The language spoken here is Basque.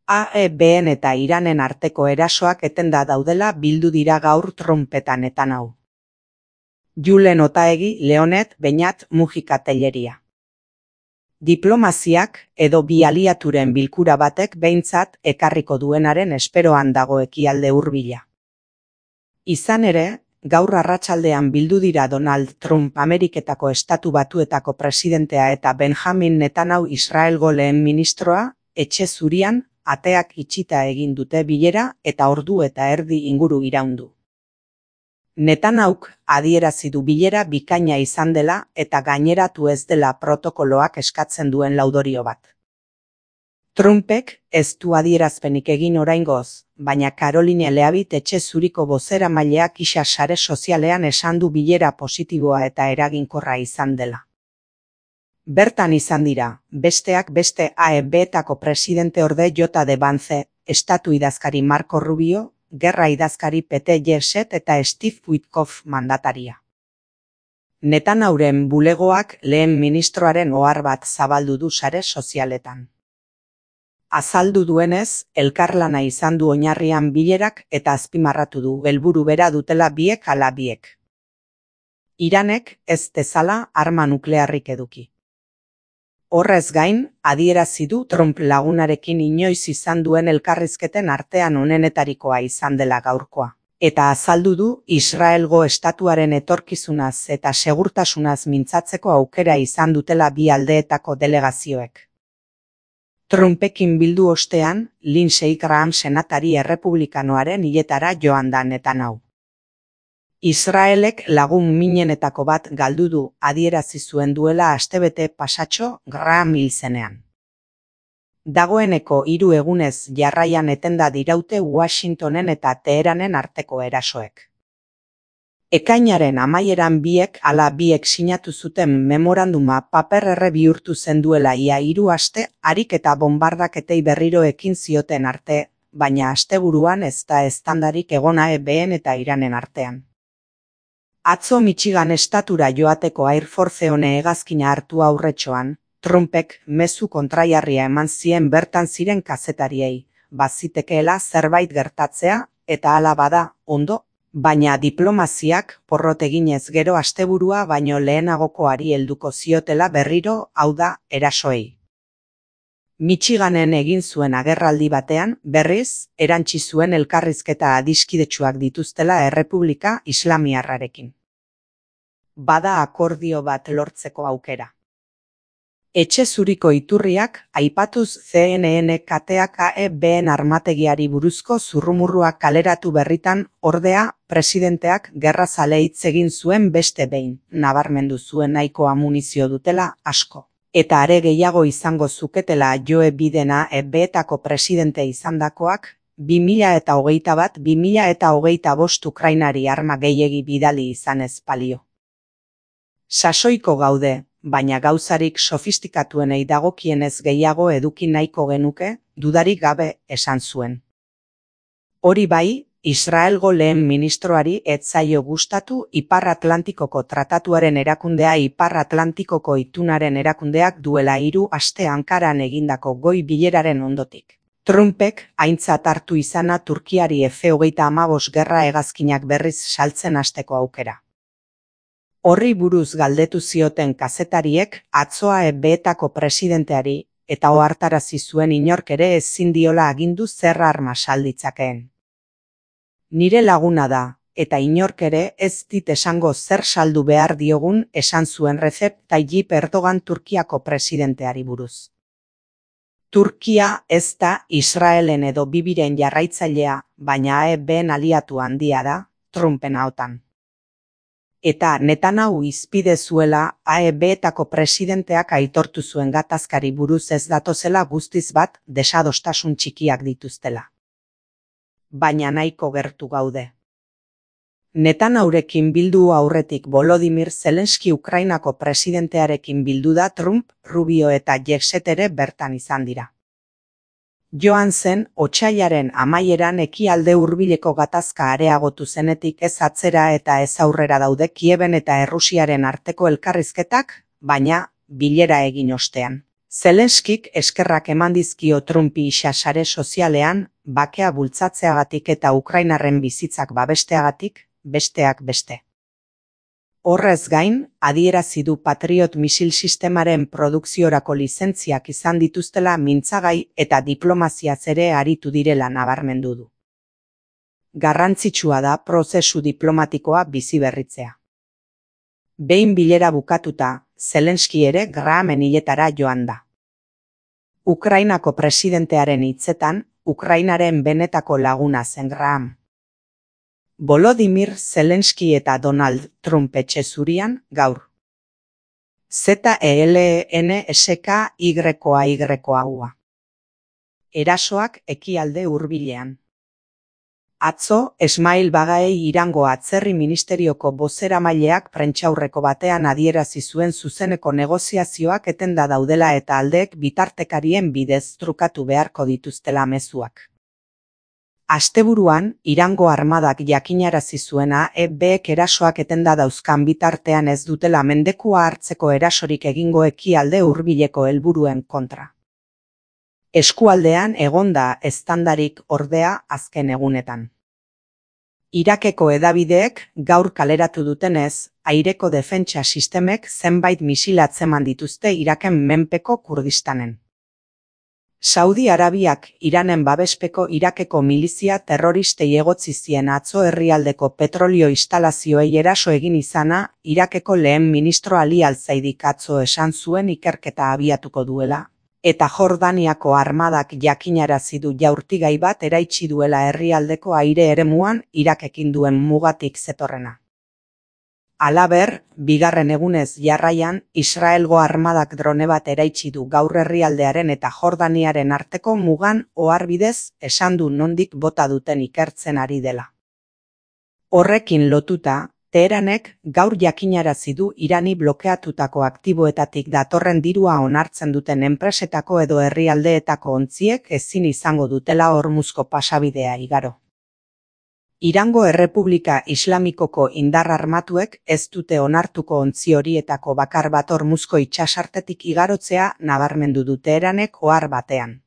AEBen eta Iranen arteko erasoak etenda daudela bildu dira gaur Trumpetan Netanyahu. Julen Otaegi, Leonet, Beñat, Mujika Telleria. Diplomaziak edo bi aliaturen bilkura batek behintzat ekarriko duenaren esperoan dago ekialde hurbila. Izan ere, gaur arratsaldean bildu dira Donald Trump Ameriketako Estatu Batuetako presidentea eta Benjamin Netanyahu Israelgo lehen ministroa, etxe zurian, ateak itxita egin dute bilera eta ordu eta erdi inguru iraundu. Netanyahuk adierazi du bilera bikaina izan dela eta gaineratu ez dela protokoloak eskatzen duen laudorio bat. Trumpek ez du adierazpenik egin oraingoz, baina Caroline Leavitt etxe zuriko bozeramaileak isa sare sozialean esan du bilera positiboa eta eraginkorra izan dela. Bertan izan dira, besteak beste AEBetako presidente orde J.D. Vance, estatu idazkari Marco Rubio, gerra idazkari Pete Hegseth eta Steve Witkoff mandataria. Netanyahuren bulegoak lehen ministroaren ohar bat zabaldu du sare sozialetan. Azaldu duenez, elkarlana izan du oinarrian bilerak eta azpimarratu du helburu bera dutela biek ala biek. Iranek ez dezala arma nuklearrik eduki. Horrez gain, adierazi du Trump lagunarekin inoiz izan duen elkarrizketen artean onenetarikoa izan dela gaurkoa. Eta azaldu du Israelgo estatuaren etorkizunaz eta segurtasunaz mintzatzeko aukera izan dutela bi aldeetako delegazioek. Trumpekin bildu ostean, Lindsey Graham senatari errepublikanoaren hiletara joan da Netanyahu. Israelek lagun minenetako bat galdu du adierazi zuen duela astebete pasatxo Graham hil zenean. Dagoeneko 3 egunez jarraian etenda diraute Washingtonen eta Teheranen arteko erasoek. Ekainaren amaieran biek ala biek sinatu zuten memoranduma paper-erre bihurtu zen duela ia 3 aste harik eta bombardaketei berriro ekin zioten arte, baina asteburuan ez da eztandarik egon AEBen eta Iranen artean. Atzo Michigan estatura joateko Air Force One hegazkina hartu aurretxoan, Trumpek mezu kontraiarria eman zien bertan ziren kazetariei, bazitekeela zerbait gertatzea eta hala bada, ondo, baina diplomaziak porrot eginez gero asteburua baino lehenagokoari helduko ziotela berriro, hau da, erasoei. Michiganen egin zuen agerraldi batean, berriz, erantsi zuen elkarrizketa adiskidetsuak dituztela Errepublika Islamiarrarekin. Bada akordio bat lortzeko aukera. Etxe zuriko iturriak aipatuz CNN kateak AEBen armategiari buruzko zurrumurruak kaleratu berritan, ordea, presidenteak gerrazale hitz egin zuen beste behin, nabarmendu zuen nahiko amunizio dutela asko. Eta are gehiago izango zuketela Joe Bidena AEBetako presidente izandakoak, 2021-2025 Ukrainari arma gehiegi bidali izanez balio. Sasoiko gaude, baina gauzarik sofistikatuenei dagokienez gehiago eduki nahiko genuke, dudarik gabe esan zuen. Hori bai, Israelgo lehen ministroari ez zaio gustatu Ipar Atlantikoko Tratatuaren erakundea Ipar Atlantikoko Itunaren erakundeak duela 3 aste Ankaran egindako goi bileraren ondotik. Trumpek aintzat hartu izana Turkiari F-35 gerra hegazkinak berriz saltzen hasteko aukera. Horri buruz galdetu zioten kazetariek atzo AEBetako presidenteari eta ohartarazi zuen inork ere ezin diola agindu zer arma salditzakeen. Nire laguna da, eta inork ere ez dit esango zer saldu behar diogun esan zuen Recep Tayyip Erdogan Turkiako presidenteari buruz. Turkia ez da Israelen edo Bibiren jarraitzailea, baina AEBen aliatu handia da, Trumpen ahotan. Eta Netanyahu izpide zuela AEBetako presidenteak aitortu zuen gatazkari buruz ez datozela guztiz bat desadostasun txikiak dituztela. Baina nahiko gertu gaude. Netanyahurekin bildu aurretik Volodymyr Zelensky Ukrainako presidentearekin bildu da Trump, Rubio eta Hegseth ere bertan izan dira. Joan zen, otsailaren amaieran ekialde hurbileko gatazka areagotu zenetik ez atzera eta ez aurrera daude Kieben eta Errusiaren arteko elkarrizketak, baina bilera egin ostean. Zelenskik eskerrak eman dizkio Trumpi sare sozialean, bakea bultzatzeagatik eta Ukrainarren bizitzak babesteagatik, besteak beste. Horrez gain, adierazi du Patriot misil sistemaren produkziorako lizentziak izan dituztela mintzagai eta diplomaziaz ere aritu direla nabarmendu du. Garrantzitsua da prozesu diplomatikoa biziberritzea. Behin bilera bukatuta, Zelenski ere Grahamen hiletara joan da. Ukrainako presidentearen hitzetan, Ukrainaren benetako laguna zen Graham. Volodymyr Zelenski eta Donald Trump etxe zurian gaur. ZELENSKYA. Erasoak ekialde hurbilean. Atzo, Esmail Bagaei Irango Atzerri Ministerioko bozeramaileak prentsaurreko batean adierazi zuen zuzeneko negoziazioak etenda daudela eta aldeek bitartekarien bidez trukatu beharko dituztela mezuak. Asteburuan, Irango armadak jakinarazi zuena EBek erasoak etenda dauzkan bitartean ez dutela mendekua hartzeko erasorik egingo ekialde hurbileko helburuen kontra. Eskualdean egonda eztandarik ordea azken egunetan. Irakeko hedabideek gaur kaleratu dutenez, aireko defentsa sistemek zenbait misil atzeman dituzte Iraken menpeko Kurdistanen. Saudi Arabiak Iranen babespeko Irakeko milizia terroristei egotzi zien atzo herrialdeko petrolio instalazioei eraso egin izana, Irakeko lehen ministro Ali Al-Zaidik atzo esan zuen ikerketa abiatuko duela, eta Jordaniako armadak jakinarazi du jaurtigai bat eraitsi duela herrialdeko aire eremuan Irakekin duen mugatik zetorrena. Halaber, bigarren egunez jarraian, Israelgo armadak drone bat eraitsi du gaur herrialdearen eta Jordaniaren arteko mugan oharbidez esan du nondik bota duten ikertzen ari dela. Horrekin lotuta, Teheranek gaur jakinarazi du Irani blokeatutako aktiboetatik datorren dirua onartzen duten enpresetako edo herrialdeetako ontziek ezin izango dutela Hormuzko pasabidea igaro. Irango Errepublika Islamikoko indar armatuek ez dute onartuko ontzi horietako bakar bat Hormuzko itsasartetik igarotzea nabarmendu du Teheranek ohar batean.